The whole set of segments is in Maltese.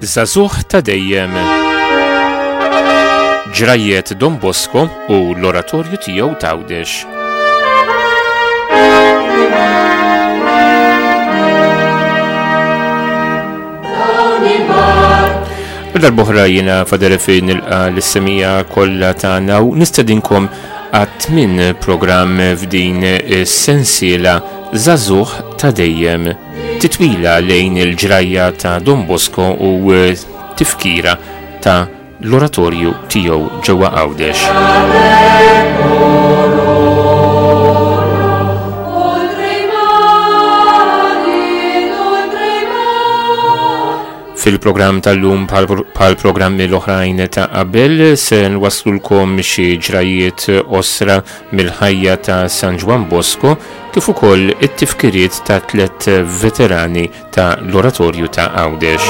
Żagħżugħ ta' dejjem. Ġrajjet Don Bosco u l-oratorju tiegħu t'Għawdex. Darbohra jiena Fader fejn nilqa l-semija kollha tagħna u nistedinkom għat-tmien programm f'din is-sensiela Żagħżugħ ta' dejjem. Titwila lejn il-ġrajja ta' Don Bosco u tifkira ta' l-oratorju tiegħu ġewwa Għawdex. Fil-programm tal-lum bħal programmi l-oħrajn ta' qabel se nwaslulkom xi ġrajiet osra mill-ħajja ta' San Ġwann Bosco kif ukoll it-tifkiriet ta' tlett veterani ta' l-Oratorju ta' Għawdex.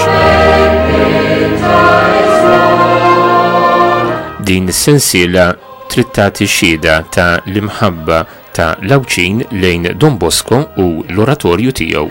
Din is-sensiela trid tagħti xhieda ta' l-imħabba ta' l-Għawdxin lejn Don Bosco u l-Oratorju tiegħu.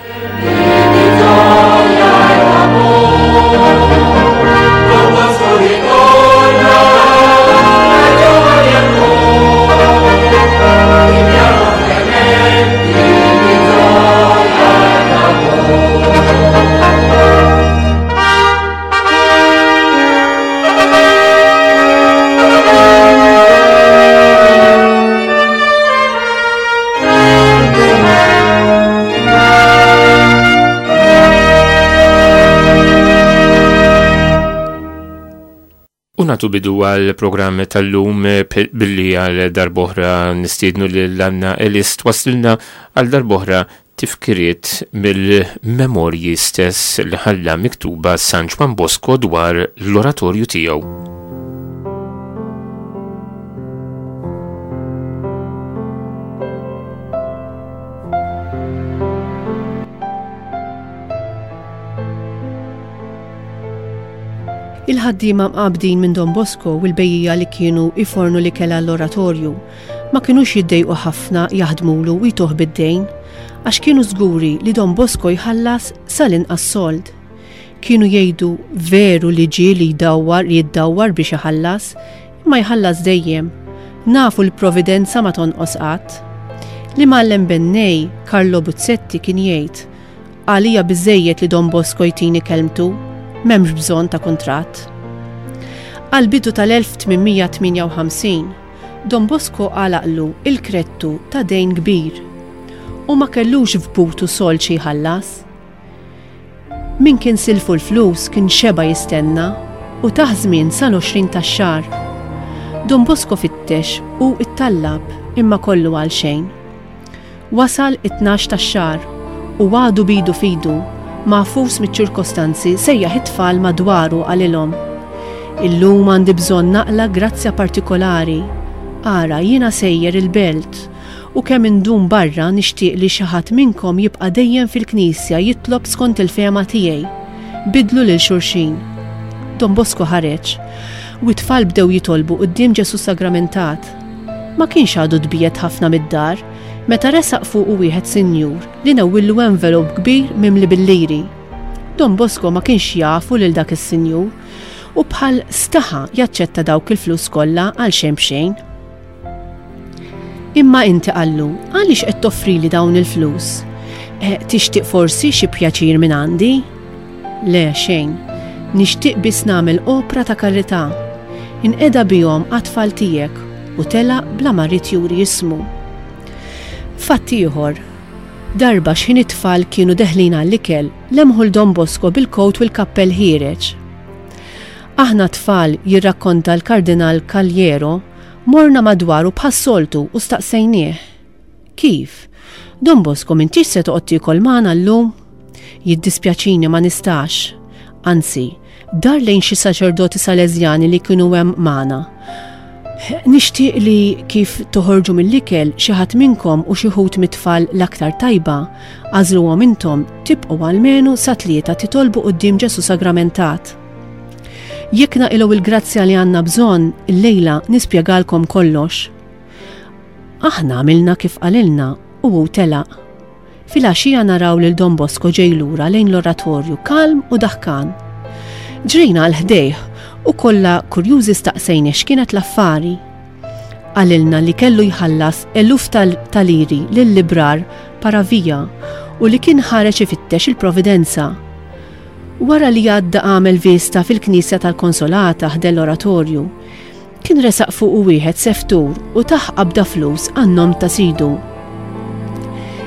U natu bidu għal programm tal-lum billi għal darboħra nistiednu lil Anna Elis twaslilna għal darboħra tifkiriet mill-memorji stess li ħalla miktuba San Ġwann Bosco dwar l-oratorju tiegħu. Il-ħaddiema mqabbdin minn Don Bosco u l-bejjiegħa li kienu jfornu l-ikel għall-oratorju ma kinux jiddejqu ħafna jaħdmulu u jtuh bid-dejn, għax kienu żguri li Don Bosco jħallas sal-inqas sold. Kienu jgħidu veru li ġieli jdawwar jiddawwar biex iħallas, imma jħallas dejjem. Nafu l-providenza ma tonqos qatt. L-imgħallem bennej, Carlo Buzzetti kien jgħid, Għalija biżżejjed li Don Bosco jtini kelmtu, m'hemmx bżonn ta' kuntratt. Għall-bidu tal-1858, Don Bosco għalaqlu il-krettu ta' dejn kbir u ma kellux f'butu sold xi jħallas. Min kien silfu l-flus kien xeba' jistenna u tah żmien sal-20 tax-xahar. Don Bosco fittex u ittallab imma kollu għalxejn. Wasal it-tnax tax-xahar u għadu b'idu f'idu, magħfus miċ-ċirkostanzi sejjaħ it-tfal madwaru qalilhom, Illum għandi bżonn naqla' grazzja partikolari. Ara, jiena sejjer il-belt u kemm indum barra nixtieq li xi ħadd minnkom jibqa' dejjem fil-knisja jitlob skont il-fehma tiegħi. Biddlu lil xulxin. Don Bosco ħareġ u t-tfal bdew jitolbu quddiem Ġesù Sagramentat. Ma kienx għadu tbiegħed ħafna mid-dar meta resaq fuqu wieħed sinjur li newwillu envelope kbir mimli bil-liri. Don Bosco ma kienx jafu lil dak is-sinjur u bħal staħa jaċċetta dawk il-flus kollha għal xejn b'xejn. Imma inti qallu, għaliex qed toffrili dawn il-flus? Eh, tixtieq forsi xi pjaċir minn għandi? Le, xejn. Nixtieq biss nagħmel opra ta' karità. Inqeda bihom għat-tfal tiegħek u telaq bla ma ried juri ismu. Fatt ieħor, Darba x'ħin it-tfal kienu deħlin għall-ikel, lemħu 'l Don Bosco bil-kowt u l-kappell ħiereġ. Aħna t-tfal, jirrakkonta l-Kardinal Cagliero, morna madwaru bħas-soltu u staqsejnieh. Kif? Don Bosco m'intix se toqgħod tiekol magħna llum? Jiddispjaċini ma nistax. Anzi, dar lejn xi saċerdoti Salesjani li kienu hemm magħna. Nixtieq li kif toħorġu mill-ikel xi ħadd minnkom u xi ħut mit-tfal l-aktar tajba, għażluhom intom, tibqgħu almenu sa tlieta titolbu quddiem Ġesù Sagramentat. Jekk naqilgħu il-grazzja li għandna bżonn, illejla nispjegalkom kollox. Aħna għamilna kif qalilna u hu telaq. Filgħaxija naraw lil Don Bosco ġej lura lejn l-oratorju kalm u daħkan. Ġrejna għal ħdejh u kollha kurjużi staqsejnih x'kienet l-affari. Qalilna li kellu jħallas eluf ta' liri lil librar Paravia u li kien ħareġ ifittex il-Providenza. Wara li għadda għamel vista fil-knisja tal-Konsolata ħdejn l-oratorju, Kien resaq fuqu wieħed seftur u tah qabda flus għan-nom ta' sidu.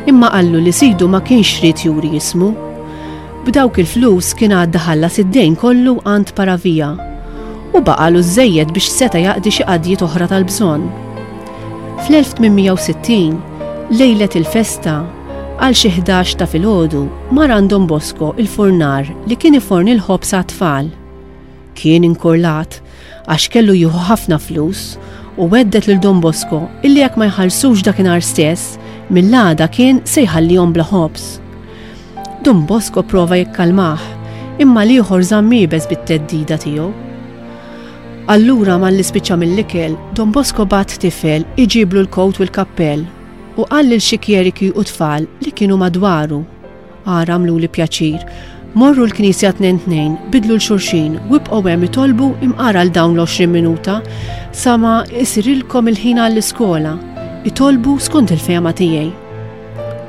Imma qallu li sidu ma kienx ried juri ismu. B'dawk il-flus kien għadda ħallas id-dejn kollu għand Paravia u baqagħlu żżejjed biex seta' jaqdi xi qadjiet oħra tal-bżonn. Fl-1860, lejlet il-festa, għal xi 11 ta' filgħodu, mar għand Don Bosco il-furnar li kien iforni l-ħobż għat-tfal. Kien inkurlat għax kellu jieħu ħafna flus u għedded lil Don Bosco illi jekk ma jħallsux dakinhar stess, mill-għada kien se jħallihom bla ħobż. Don Bosco prova jikkalmah, imma l-ieħor żamm iebes bit-theddida tiegħu. Allura malli spiċċa mill-ikel, Don Bosco bagħat tifel iġiblu l-kowt u l-kappell u qal lil xi kjeriki u tfal li kienu madwaru. Ara għamluli pjaċir. Morru l-knisja tnejn tnejn, bidlu 'l xulxin u ibqgħu hemm itolbu imqar għal dawn l-20 minuta sa ma isirilkom il-ħin għall-iskola. Itolbu skont il-fehma tiegħi.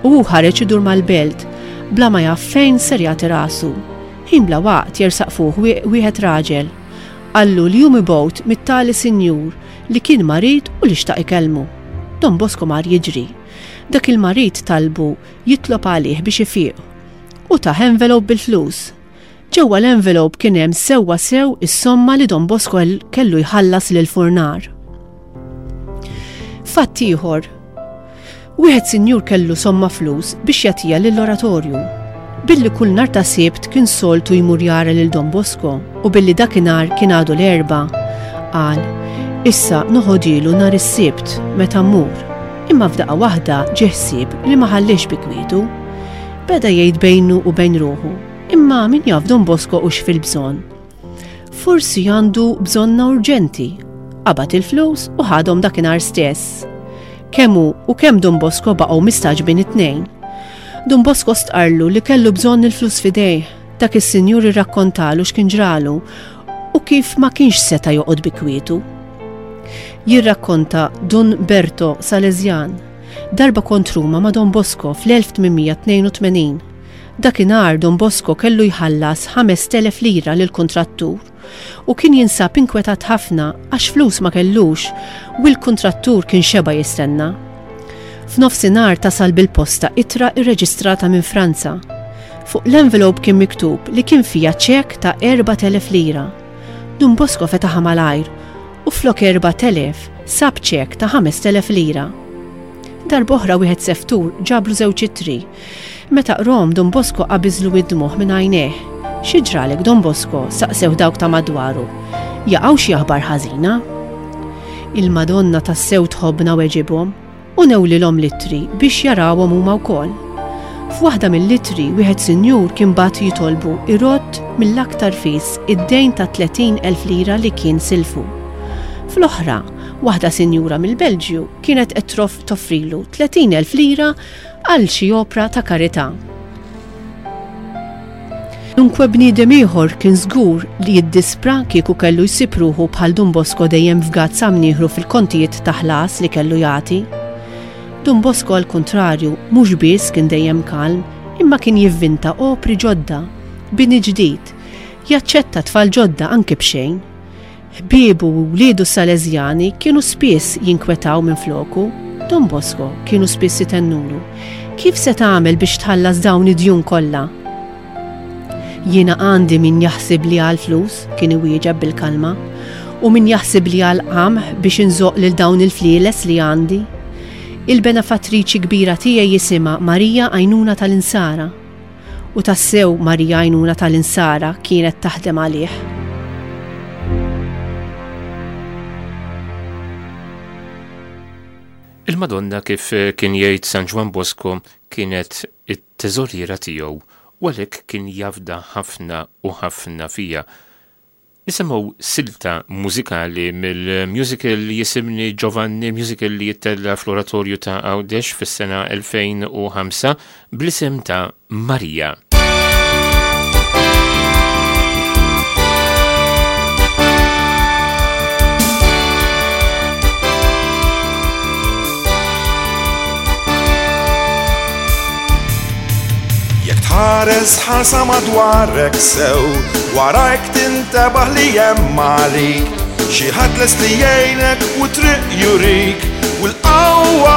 U hu ħareġ idur mal-belt, bla ma jaf fejn ser jagħti rasu. Ħin bla waqt jersaq fuq wieħed raġel. Qallu li hu mibgħut mit-tali sinjur li kien marid u li xtaq ikellmu. Don Bosco mar jiġri. Dak il-marid talbu jitlob għalih biex ifiq u tah envelope bil-flus. Ġewwa l-envelope kien hemm sewwa sew is-somma li Don Bosco kellu jħallas lill-furnar. Fatt ieħor. Wieħed sinjur kellu somma flus biex jagħtiha lill-oratorju. Billi kull nhar ta' Sibt kien soltu jmur jara lil Don Bosco u billi dakinhar kien għadu l-Erbgħa, qal, Issa noħodhielu nhar is-Sibt meta mmur. Imma f'daqqa waħda ġie ħsieb li ma ħallihx bi kwietu. Beda jgħid bejnu u bejn ruħu, Imma min jaf Don Bosco hux fil-bżonn? Forsi għandu bżonnha urġenti. Qabad il-flus u ħadhom dakinhar stess. Kemm hu u kemm Don Bosco baqgħu mistagħġbin it-tnejn. Don Bosco stqarrlu li kellu bżonn il-flus f'idejh. Dak is-sinjur irrakkontalu x'kien ġralu u kif ma kienx seta' joqgħod bi kwietu. Jirrakkonta Dun Berto Salesian, Darba kont Ruma ma' Don Bosco fl-1882. Dakinhar Don Bosco kellu jħallas 5,000 lira lill-kuntrattur u kien jinsab inkwetat ħafna għax flus ma kellux u l-kuntrattur kien xeba' jistenna. F'nofsinhar tasal bil-posta ittra rreġistrata minn Franza. Fuq l-envelope kien miktub li kien fiha ċekk ta' 4,000 lira. Dun Bosco fetaħha malajr u flok 4,000 sab ċekk ta' 5,000 lira. Darb'oħra wieħed seftur ġablu żewġ ittri. Meta qrahom Dun Bosco qabiżlu id-dmugħ minn għajnejh. Xi ġralek Don Bosco? saqsewh dawk ta' madwaru. Jaqaw xi aħbar ħażina? Il-Madonna tassew tħobbna weġibhom. U newlilhom l-ittri biex jarawhom huma wkoll. F'waħda mill-ittri wieħed sinjur kien bagħat jitolbu jrodd mill-aktar fis id-dejn ta' 30,000 lira li kien silfu. Fl-oħra, waħda sinjura mill-Belġju kienet qed toffrilu 30,000 lira għal xi opra ta' karità. Kwalunkwe bniedem ieħor kien żgur li jiddispra kieku kellu jsib ruħu bħal Dun Bosco dejjem fgat sa mnieħru fil-kontijiet ta' ħlas li kellu jagħti. Dun Bosco għall-kuntrarju mhux biss kien dejjem kalm imma kien jivvinta opri ġodda, bini ġdid, jaċċetta tfal ġodda anki b'xejn. Ħbiebu u wliedu s-Sależjani kienu spiss jinkwetaw minfloku. Don Bosco kienu spiss itennulu, Kif se tagħmel biex tħallas dawn id-djun kollha? Jiena għandi min jaħsibli għall-flus, kien iwieġeb bil-kalma, u min jaħsibli għall-qamħ biex inżoqq lil dawn il-flieles li għandi. Il-benefattriċi kbira tiegħi jisimha Marija Għajnuna tal-Insara. U tassew Marija Għajnuna tal-Insara kienet taħdem għalih. Il-Madonna kif kien jgħid San Ġwann Bosco kienet it-teżoriera tiegħu u għalhekk kien jafda ħafna u ħafna fiha. Nisimgħu silta mużikali mill-musical Jisimni Giovanni, musical li jittella fl-Oratorju ta' Għawdex fis-sena 2005 bl-isem ta' Marija. Jekk tħares ħarsa madwarek sew, warajk tintebaħ li hemm għalik. Xi ħadd lest li jgħinek u triq jurik u l-qawwa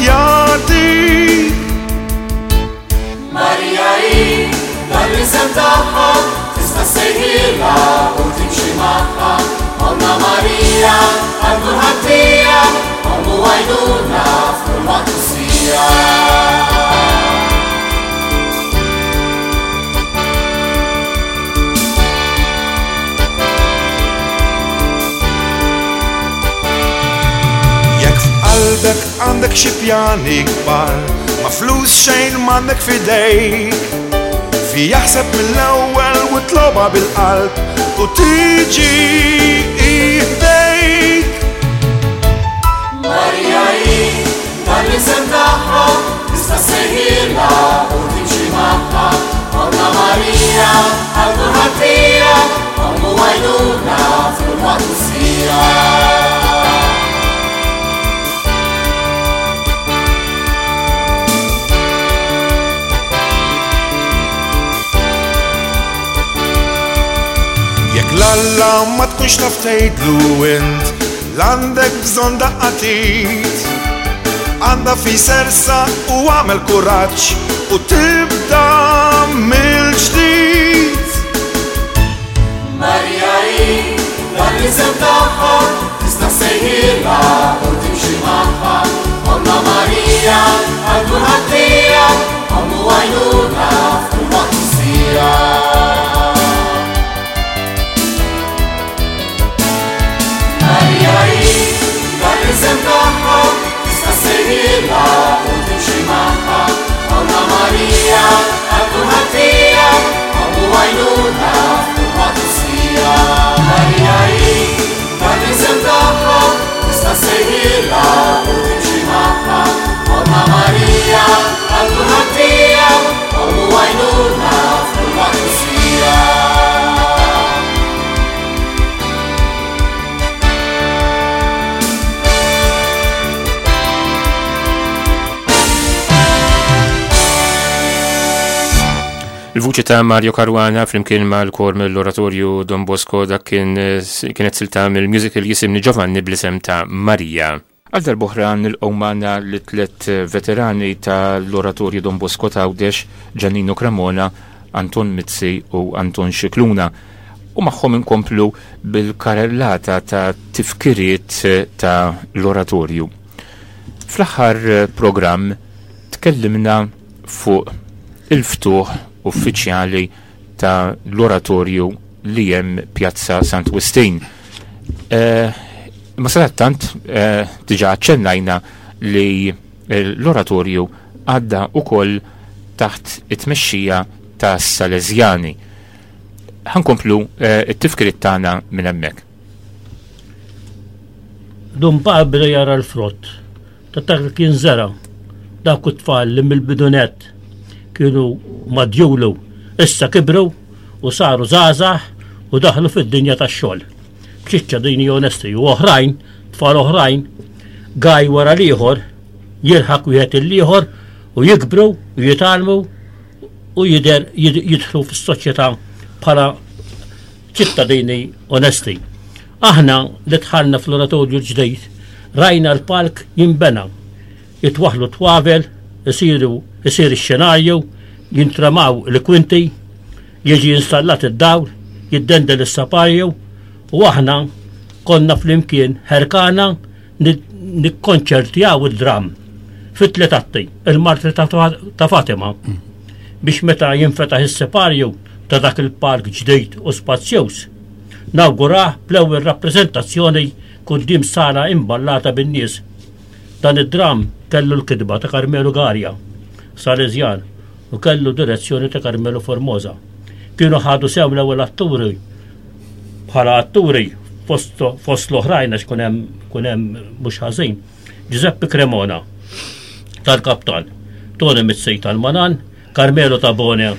jagħtik. Marija hi dan l-isem tagħha tista' ssejħilha u timxi magħha. Omna Marija għal kulħadd hija, ommu għajnuna f'kull waqt u siegħa. Jekk f'qalbek għandek xi pjani kbar, ma flus xejn m'għandek f'idejk. Fi jaħseb mill-ewwel u tloba bil-qalb u tiġi ħdejk. Marija hi dan l-isem tagħha, tista' ssejħilha u timxi magħha. Omna Marija għal kulħadd hija, ommu għajnuna f'kull waqt u siegħa. Jekk l-Alla ma tkunx taf tgħidlu int l-għandek bżonn daqqa t'id. Għandha fi sersa u għamel kuraġġ u tibda mill-ġdid. Marija hi dan l-isem tagħha, tista' ssejħilha u timxi magħha. Omna Marija għal kulħadd hija, ommu għajnuna f'kull waqt u siegħa. Marija hi dan l-isem tagħha, tista' ssejħilha u timxi magħha. Omna Marija għal kulħadd hija, ommu għajnuna f'kull waqt u siegħa. Marija hi dan l-isem tagħha, tista' ssejħilha u timxi magħha. Omna Marija għal kulħadd hija, ommu għajnuna f'kull waqt u siegħa. Il-vuċi ta' Mario Caruana flimkien mal-kor mill-Oratorju Don Bosco dak kien kienet silta mill-musical Jisimni Giovanni bl-isem ta' Marija. Għal darb'oħra nilqgħu magħna lit-tliet veterani tal-Oratorju Don Bosco t'Għawdex, Giannino Cremona, Anton Mizzi u Anton Scicluna. U magħhom inkomplu bil-karellata ta' tifkiriet ta' l-Oratorju. Fl-aħħar programm tkellimna fuq il-ftuħ uffiċjali ta' l-Oratorju li hemm Pjazza Sant Wistin. Eh, ma sadattant eh, diġà aċċennajna li l-Oratorju għadda ukoll taħt it-tmexxija ta' Salesjani. Ħankomplu eh, it-tifkiriet tagħna minn hemmhekk. Dun Pawl beda jara l-frott ta' dak li kien żera'. Dawk it-tfal li mill-bidu nett kienu madjulu issa kibru u saru żgħażagħ u daħlu fid-dinja tax-xogħol. B'ċittadini onesti u oħrajn, tfal oħrajn, gaj wara l-ieħor, jilħaq wieħed il-ieħor u jikbru u jitgħallmu u jidher jidħlu fis-soċjetà bħala ċittadini onesti. Aħna li dħalna fl-oratorju l-ġdid rajna l-palk jinbena, jitwaħħlu t-twavel, isiru isir ix-xenarju, jintramaw il-kwinti, jiġi installat id-dawl, jiddendel is-saparju u aħna konna flimkien ħerkana nikkonċertjaw id-dramm fit-tliet atti, il-Martri ta' Fatima, biex meta jinfetaħ is-separju ta' dak il-park ġdid u spazjuż, nawgurah bl-ewwel rappreżentazzjoni quddiem sala imballata bin-nies. Dan id-dramm kellu l-kitba ta' Carmelo Garia, Salesjan, u kellu direzzjoni ta' Carmelo Formosa. Kienu ħadu sehem l-ewwel atturi. Bħala atturi fost, fost l-oħrajn għax kun hemm kun hemm mhux ħażin. Giuseppe Cremona tal-Kaptan, Tony Mizzi tal-Manan, Carmelo Tabone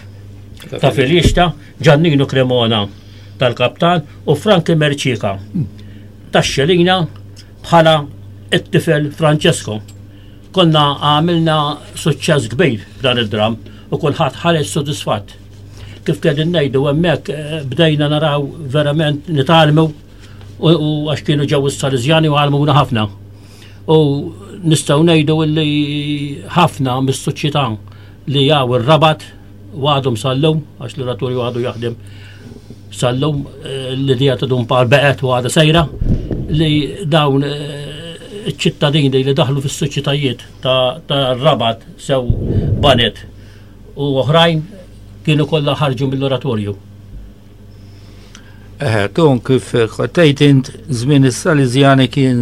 ta' Filixta, Giannino Cremona tal-Kaptan u Franki Merċika tax-Xelina bħala it-tifel Francesco. Konna għamilna suċċess kbir f'dan id-dram u kulħadd ħareġ sodisfatt. Kif qegħdin ngħidu hemmhekk eh, bdejna naraw verament nitgħallmu u għax kienu ġew is-Salesjani u għalmuna ħafna. U nistgħu ngħidu li ħafna mis-soċjetà li jaw ir-rabat u għadhom sal-lum, għax l-oratorju għadu jaħdem sal-lum, eh, l-idea ta' Dun Pawl beqgħet u għadha sejra, li dawn eh, iċ-ċittadini li daħlu fis-soċjetajiet ta' rabat sew banet u oħrajn kienu kollha ħarġu mill-oratorju. Eħe, ton kif tgħid int żmien is-Saliżjani kien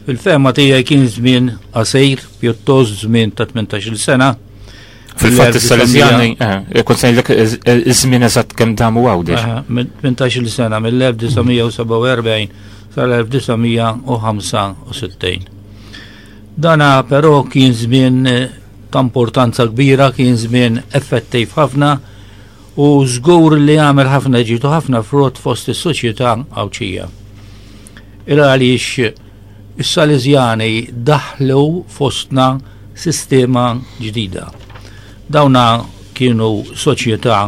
fil-fehma tiegħi kien żmien qasir, pjuttost żmien ta' 18-il sena. Fil-fatt is-Saliżjani, eh, kont se ngħidlek iż-żmien eżatt kemm damu Għawdex. 18-il sena mill-1947 sal-1965. Dana però kien żmien eh, ta' importanza kbira, kien żmien effettiv ħafna u żgur li għamel ħafna ġid u ħafna frott fost is-soċjetà Għawdxija. Il għaliex is-Sależjani daħlu fostna sistema ġdida. Dawna kienu soċjetà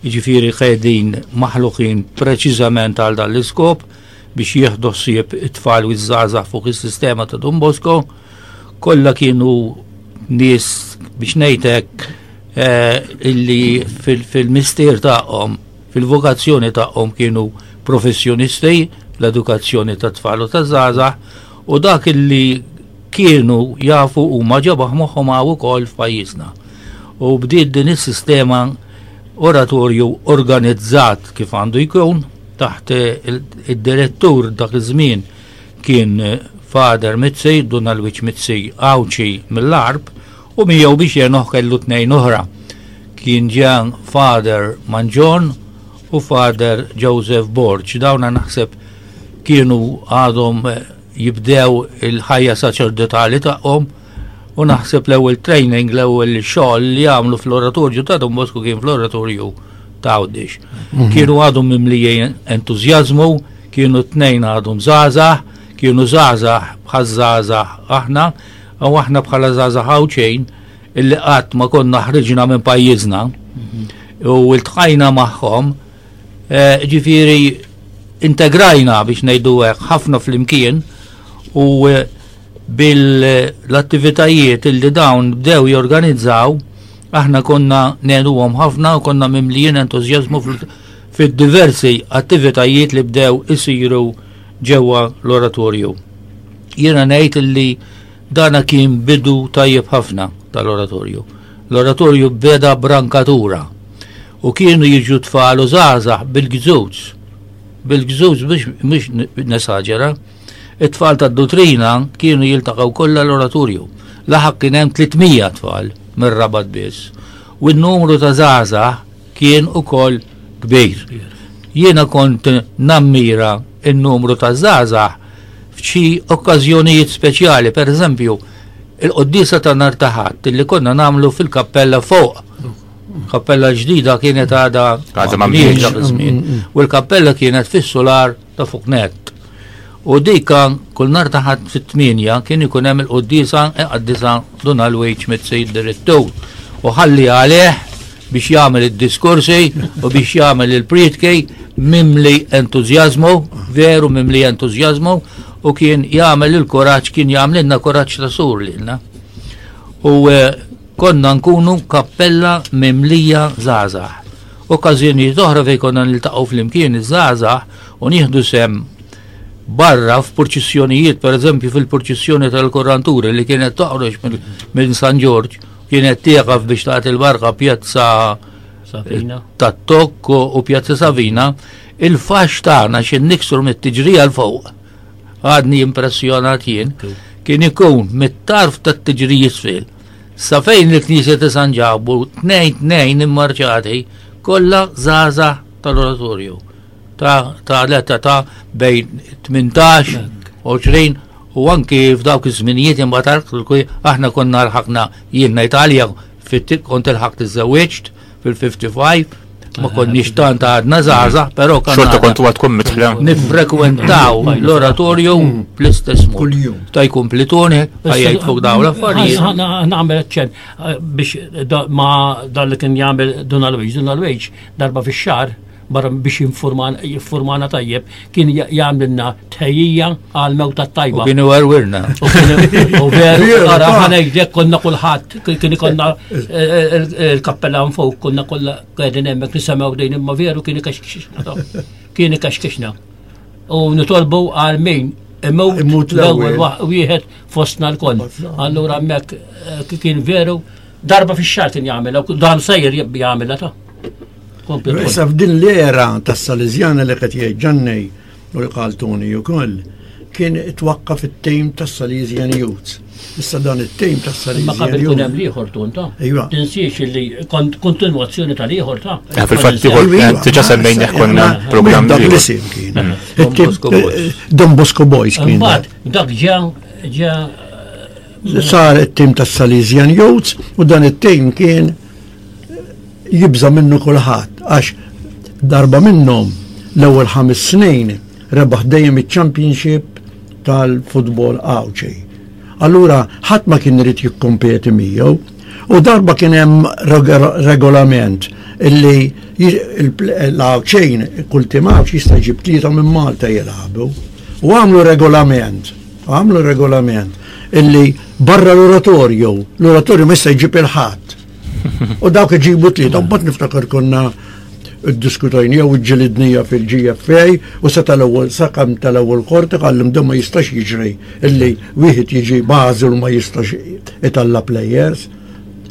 jiġifieri qegħdin maħluqin preċiżament għal dan l-iskop biex jieħdu ħsieb it-tfal u ż-żgħażagħ fuq is-sistema ta' Don Bosco, kollha kienu nies biex ngħid hekk eh, illi fil-mistier tagħhom, fil-vokazzjoni tagħhom kienu professjonisti l-edukazzjoni ta' tfal u ta' żgħażagħ u dak illi kienu jafu huma ġabaħ moħħhom hawn ukoll f'pajjiżna. U bdiet din is-sistema oratorju organizzat kif għandu jkun taħt id-direttur dak iż-żmien kien Father Mizzi, Dun Alwiġ Mizzi Għawdxi mill-Għarb, u miegħu biex jgħinuh kellu tnejn oħra. Kien ġa Father Manġon u Father Joseph Borg. Dawna naħseb kienu għadhom eh, jibdew il-ħajja saċerdotali tagħhom u naħseb l-ewwel training, l-ewwel xogħol li għamlu fl-oratorju ta' Don Bosco kien fl-oratorju ta' Għawdex. Mhm. Kienu għadhom mimlijin entużjażmu, kienu tnejn għadhom żgħażagħ, kienu żgħażagħ bħal żgħażagħ aħna, U aħna bħala żgħażagħ Għawdxin illi qatt ma konna ħriġna minn pajjiżna u ltqajna magħhom, eh, ġifieri integrajna biex ngħidu hekk ħafna flimkien u eh, bil-attivitajiet illi dawn bdew jorganizzaw aħna konna ngħinuhom ħafna u konna mimlijin entużjażmu fid-diversi attivitajiet li bdew isiru ġewwa l-oratorju. Jiena ngħid illi dana kien bidu tajjeb ħafna tal-oratorju. L-oratorju beda brankatura u kienu jiġu tfal u żgħażagħ bil-gżuż. Bil-gżuż biex mhux nesaġera. It-tfal tad-dutrina kienu jiltaqgħu kollha l-oratorju. Laħaq kien hemm 300 tfal mir-Rabat biss. U n-numru ta' żgħażagħ kien ukoll kbir. Jiena kont nammira n-numru ta' żgħażagħ f'xi okkażjonijiet speċjali, per eżempju, il-quddiesa ta' nhar ta' Ħadd li konna nagħmlu fil-kappella fuq. Kappella ġdida kienet għadha għadha ma dak iż-żmien. Mm, mm, mm. U l-kappella kienet fis-sular ta' fuq net. U dika kull nhar ta' Ħadd fit-tmienja kien ikun hemm il-quddiesa iqaddisha Dun Alwiġ Mizzi d-direttur. U ħalli għalih biex jagħmel id-diskorsi u biex jagħmel il-prietki mimli entużjażmu, veru mimli entużjażmu, u kien jagħmel il-kuraġġ, kien jagħmlilna kuraġġ ta' sur lilna. U eh, konna nkunu kappella mimlija żgħażagħ. Okkażjonijiet oħra fejn konna niltaqgħu flimkien iż-żgħażagħ u nieħdu sehem barra f'purċissjonijiet, per eżempju fil-purċissjoni tal-Kurranturi li kienet toħroġ minn San Ġorġ, kienet tieqaf biex tagħti l-barka pjazza Savina. tat-Tokk u pjazza Savina, il-fax tagħna xi niksru mit-tiġrija l fuq. Għadni impressjonat jien, kien ikun mit-tarf tat-tiġrija isfel. Sa fejn il-Knisja ta' San Ġakbu, tnejn tnejn immarċati, kollha żgħażagħ tal-oratorju. ta' ta' l-età ta' bejn 18, 20 u anki f'dawk iż-żminijiet imbagħad aħna konna lħaqna jien ngħid għalija kont ilħaqt iżżewwiġt fil-55 ma konniex tant għadna żgħażagħ, però kan. Xorta kontu għadkom mitħla. Nifrekwentaw l-oratorju bl-istess mod. Kuljum. Ta' jkun plitoni, ħajjajt fuq dawn l-affarijiet. Nagħmel ċen eh, biex ma dan li kien jagħmel Dun Alwejġ, Dun Alwejġ darba fix-xahar barra biex jinformana tajjeb, kien jagħmlilna tħejjija għal mewta tajba. U kienu għarwirna. U veru, ara ħanejdek konna kulħadd, kien ikonna eh, eh, eh, il-kappella fuq, konna kollha qegħdin hemmhekk nisemgħu dejn imma veru kien ikaxkixna. Kien ikaxkixna. U nitolbu għal min imut l-ewwel wieħed fostna l-koll. Allura hemmhekk kien veru darba fix-xahar kien jagħmilha, dan sejjer jagħmilha ta' Issa f'din l-era tas-Salesjana li qed jgħid Ġannej u li qal Tony ukoll, kien twaqqaf it-tim tas-Salesian Youth. Issa dan it-tim tas-Salesian Ma qabel kien hemm l-ieħor tun ta'. Iva. Tinsiex li kont kontinwazzjoni tal-ieħor ta'. Eh, fil-fatt ieħor eh, diġà semmejna konna programm Dak l-isim kien. Mm. Don Bosco Boys. Don Bosco Boys kien. Imbagħad dak ġa ġa Sar it-tim tas-Salesian Youth u dan it-tim kien jibża' minnu kulħadd għax darba minnhom l-ewwel ħames snin rebaħ dejjem iċ-championship tal-futbol Għawdxi. Allura ħadd ma kien irid jikkompeti miegħu u darba kien hemm regolament illi l-Għawdxin kull tim Għawdxi jista' jġib tlieta minn Malta jilagħbu. U għamlu regolament, għamlu regolament illi barra l-oratorju, l-oratorju ma jista' jġib il-ħadd. U dawk iġibu tlieta, mbagħad niftakar konna ddiskutajnija u ġilidnija fil-GFA u sa tal-ewwel sakam tal-ewwel qorti qallim dan ma jistax jiġri illi wieħed jiġi bażil u ma jistax italla players.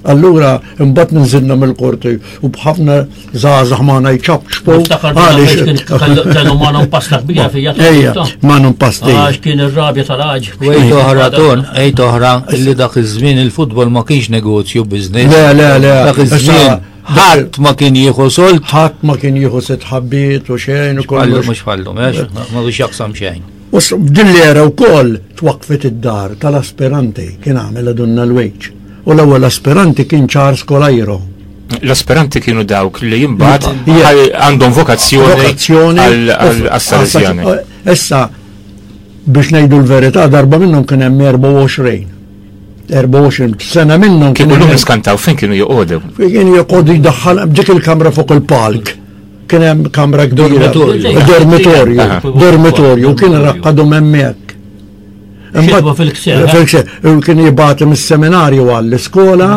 Allura imbagħad ninżilna mill-qorti u b'ħafna żgħażagħ magħna jċapċpu. Għaliex kellu magħna pasta kbira fija. Ejja, magħna pasta. Għax kien ir-rabja tal-għaġ. U għejt oħra ton, għejt oħra illi dak iż-żmien il-futbol ma kienx negozju business. Le, le, le. Dak iż-żmien ħadd ma kien jieħu solt. Ħadd ma kien jieħu sitt ħabbiet u xejn u kollox. Mhux fallu, ma biex jaqsam xejn. U f'din l-era wkoll twaqqfet id-dar tal-aspiranti kien għamel Donna l-Wejġ. U l-ewwel aspiranti kien Charles Colajro. L-aspiranti kienu dawk li imbagħad għandhom vokazzjoni għas-Salesjani. Issa biex ngħidu l-verità darba minnhom kien hemm 24. 24 sena minnhom kienu llum niskantaw fejn kienu joqogħdu. Kien joqogħdu jdaħħal dik il-kamra fuq il-palk. Kien hemm kamra kbira. Dormitorju. Dormitorju kien raqqadhom hemmhekk. Imbagħad fil-kser. Eh? Fil-kser. Kien jibgħatu mis-seminarju għall-iskola.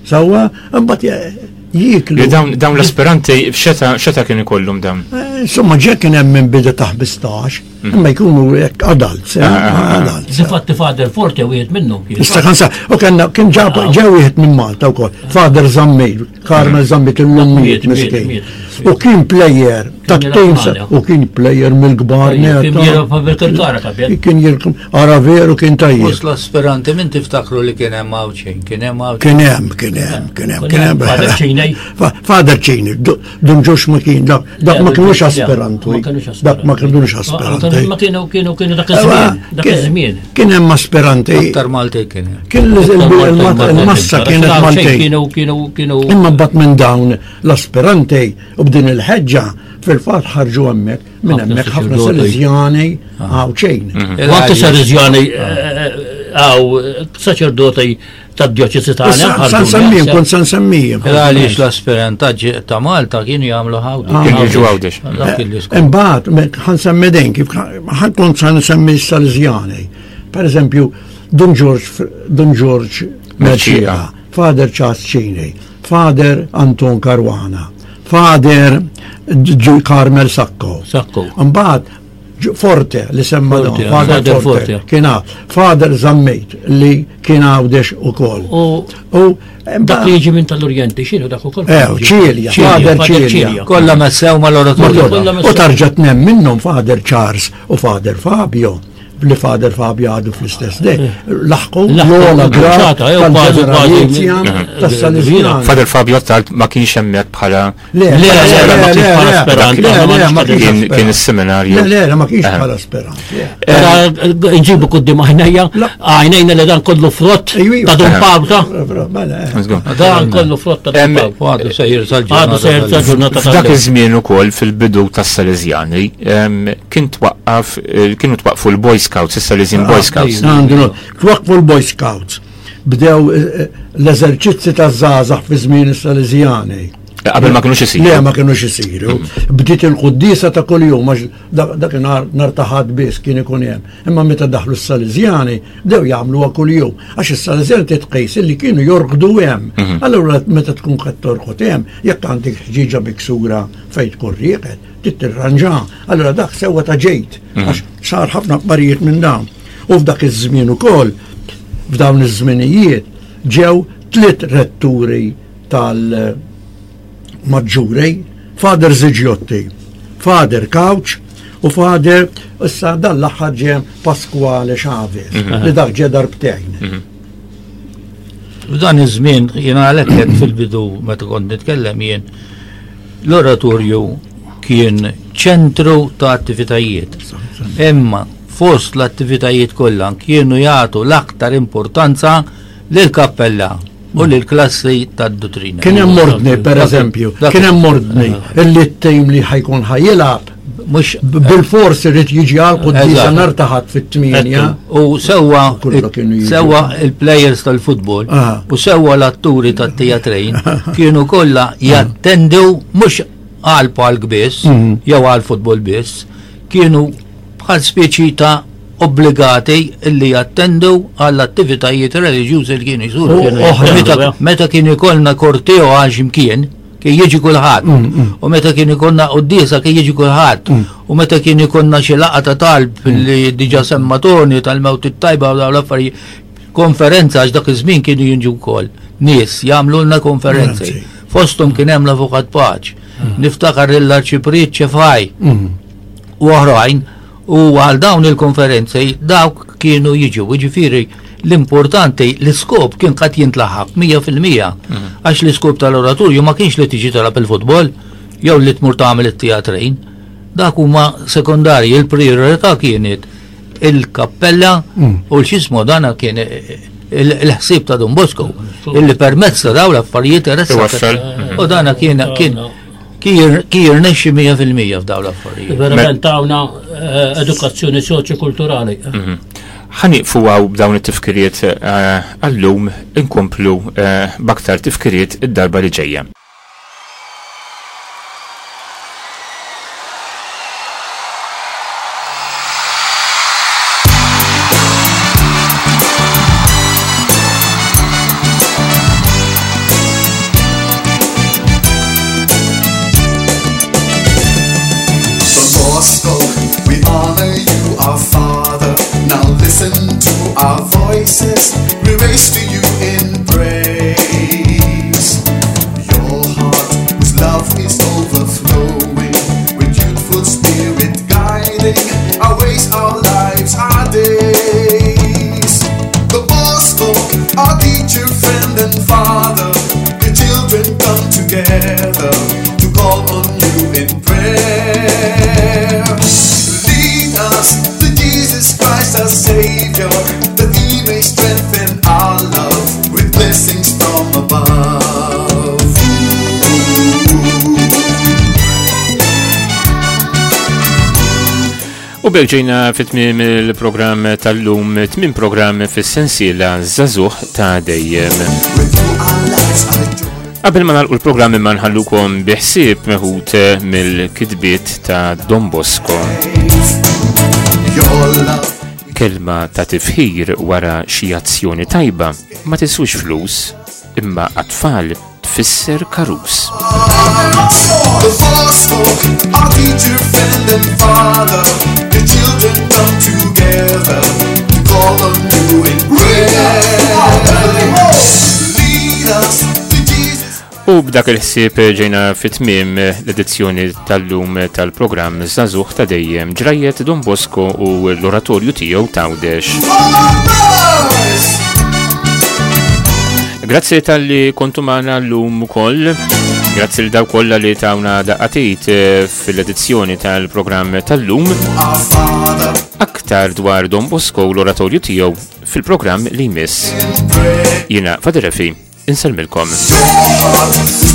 Sewwa, imbagħad jieklu. Dawn l-aspiranti x'eta kien ikollhom dawn? Eh, insomma, ġe kien hemm minn bidu ta' 15, mhm. imma jkunu hekk adults, eh, ah, ah, ah. adults. Difatti Father Forte wieħed minnhom kien. Issa kan sa, u kellna kien ġab ġew wieħed minn Malta wkoll, Father Zammit, Carmel mhm. Zammit illum miet miskin. U kien plejer ta' team u kien plejer mill-kbar netta. Kien jirkum, ara veru kien tajjeb. Fost l-aspiranti min tiftakru li kien hemm Għawdxin, kien hemm Għawdxin. Kien hemm, kien hemm, kien hemm, kien hemm. Father Ċini. Father Ċini, Dun Ġox ma kien, dak ma kienux aspiranti. Dak ma kienux aspiranti. Ma kienu kienu kienu dak iż-żmien, dak iż-żmien. Kien hemm aspiranti. Aktar Malti kien hemm. Kien il-massa kienet Malti. Kienu kienu kienu. Imma bat minn dawn l-aspiranti u b'din il-ħeġġa fil-fatt ħarġu hemmhekk minn hemmhekk ħafna Salesjani ah. Għawdxejn. Mhm. U anke Salesjani eh, eh, għaw saċerdoti tad-djoċesi tagħna. San semmijiem, kont san semmijiem. Għaliex l-aspirantaġġi ta' Malta kienu jagħmlu ħawdi. Ah. Kienu jiġu Għawdex. Eh, imbagħad ħan semmi dejn kif ħan kont san semmi Salesjani. Per eżempju, Dun George Dun George Merċija, Father Charles Cini, Father Anton Caruana, Father Carmel Sacco. Sacco. Mbagħad Forte li semma dan, Father Forte. Kien Father Zammit li kien għawdex ukoll. U dak li jiġi minn tal-Orjenti, x'inhu dak ukoll? Eh, Ċilja, Father Ċilja. Kollha messew mal-oratorju. U tarġa' tnem minnhom Father Charles u Father Fabio. li Father Fabio għadu fl-istess dej, laħqu l-ogħla grad tal-ġeneralizja tas-Salesjan. Father Fabio tard ma kienx hemmhekk bħala Le, le, le, le, le, ma kienx kien is-seminarju. Le, le, ma kienx bħala sperant. Nġibu quddiem għajnejja, għajnejna li dan kollu frott ta' Dun Pawta. Mela, Dan kollu frott ta' Dun Pawta. Għadu sejjer sal-ġurnata. Għadu sejjer sal-ġurnata. F'dak iż-żmien ukoll fil-bidu tas-Salesjani kien twaqqaf eh, kienu twaqqfu l-Boy Scouts, is-Salesian Boy Scouts. Għandu, twaqqfu l-Boy Scouts. Bdew eh, eh, l-eżerċizzi taż-żgħażagħ fi żmien is-Salesjani. Qabel ma kinux isiru. Le, ma kinux isiru. Bdiet il-quddiesa ta' kuljum għax dakinhar nhar ta' Ħadd biss kien ikun hemm. Imma meta daħlu s-Salesjani bdew jagħmluha kuljum għax is-Salesjani titqis illi kienu jorqdu hemm. Mhm. Allura meta tkun qed torqod hemm, jekk għandek ħġieġa miksura fejn tkun rieqed, trid tirranġa. Allura dak sewwa ta' ġejt, mhm. għax sar ħafna affarijiet minn dawn. U f'dak iż-żmien ukoll, f'dawn iż-żminijiet, ġew tliet retturi tal-maġġuri, Father Ziġjotti, Father Couch u Father issa dan l-aħħar ġie Pasquale Chavez, mhm. li dak ġie darbtejn. Mhm. F'dan iż-żmien jiena għalhekk fil-bidu meta kont nitkellem jien L-oratorju kien ċentru ta' attivitajiet. Imma fost l-attivitajiet kollha kienu jagħtu l-aktar importanza lill-kappella u lill-klassi tad-duttrina. Kien hemm ordni, per eżempju, kien hemm ordni illi t-tim li ħajkun ħajilgħab mhux bil-fors irid jiġi għal quddiesa nhar ta' Ħadd fit-tmienja. U sewwa sewwa il-players tal-futbol u sewwa l-atturi tat-teatrejn kienu kollha jattendu mhux għal palk biss mhm. jew għal futbol biss, kienu bħal speċi ta' obbligati illi jattendu għall attivitajiet reliġjużi li kienu jsiru. Meta kien ikollna korteo għal ximkien, kien jiġi kulħadd. Mm, mm. U meta kien ikonna quddiesa kien jiġi kulħadd. Mm. U meta kien ikonna xi laqgħa ta' talb li diġà semma Toni tal-mewt it-tajba u dawn l-affarijiet konferenza għax dak iż-żmien kienu jinġu wkoll nies jagħmlulna konferenzi. Fosthom kien hemm l-Avukat Paċ. Niftakar lill-Arċipriet Ċefaj u oħrajn U għal dawn il-konferenzi dawk kienu jiġu, jiġifieri l-importanti l-iskop kien qed jintlaħaq 100% mhm. għax l-iskop tal-oratorju ma kienx li tiġi talab il-futbol jew li tmur tagħmel it-teatrin. Dak huma sekondarji, il-priorità kienet il-kappella mm. u l-xismu dana kien il-ħsieb ta' Don Bosco illi permezz ta' dawn l-affarijiet U dana kien kien Kien jirnexxi 100% f'dawn l-affarijiet. Verament tawna eh, edukazzjoni soċjokulturali. Mhm. Ħa nieqfu hawn b'dawn it-tifkiriet eh, għallum inkomplu eh, b'aktar tifkiriet id-darba li ġejja. Bosco, we honor you, our Father. Now listen to our voices, we raise to you in praise. Your heart, whose love is overflowing, with youthful spirit guiding our ways, our lives, our days. The Bosco, our teacher, friend, and father, the children come together to call on you in prayer. Lead us to Jesus Christ, our Savior, that He may strengthen our love with blessings from above. U b'hekk ġejna fit-tmiem il-programm tal-lum, tmiem programm fis-sensiela Żagħżugħ ta' dejjem. Qabel ma nagħlqu l-programm imma nħallukom bi ħsieb meħud mill-kitbiet ta' Don Bosco. Kelma ta' tifħir wara xi azzjoni tajba ma tiswix flus, imma għat-tfal tfisser karus. U b'dak il-ħsieb ġejna fit-tmiem l-edizzjoni tal-lum tal-programm Żagħżugħ ta' Dejjem, ġrajjet Don Bosco u l-oratorju tiegħu t'Għawdex. Grazzi tal-li kontu magħna llum ukoll. Grazzi l daw kollha li tawna daqqatit eh, fil-edizzjoni tal-programm tal-lum. Aktar dwar Don Bosco u l-oratorju tiegħu fil-programm li jmiss. Jiena Fader Refi, insellmilkom.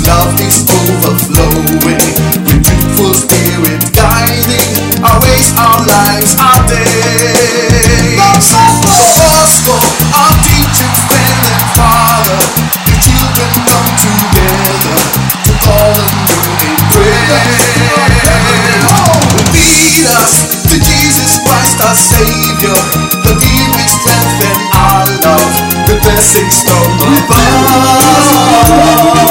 Love is overflowing with beautiful spirit guiding our ways, our lives, our days. Bosco, our teaching friend and father, the children come together to call on you in prayer. Lead us to Jesus Christ, our Savior, the deepest strength and our love, the blessings from above.